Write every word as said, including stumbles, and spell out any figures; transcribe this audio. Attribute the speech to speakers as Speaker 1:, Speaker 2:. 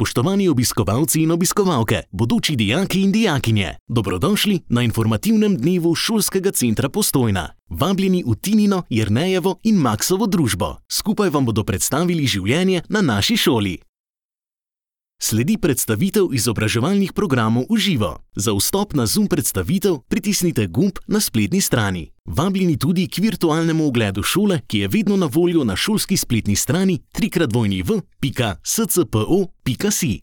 Speaker 1: Spoštovani obiskovalci in obiskovalke, bodoči dijaki in dijakinje, dobrodošli na informativnem dnevu Šolskega centra Postojna. Vabljeni v Tinino, Jernejevo in Maksovo družbo. Skupaj vam bodo predstavili življenje na naši šoli. Sledi predstavitev izobraževalnih programov v živo. Za vstop na Zoom predstavitev pritisnite gumb na spletni strani. Vabljeni tudi k virtualnemu ogledu šole, ki je vedno na voljo na šolski spletni strani w w w pika s c p o pika si.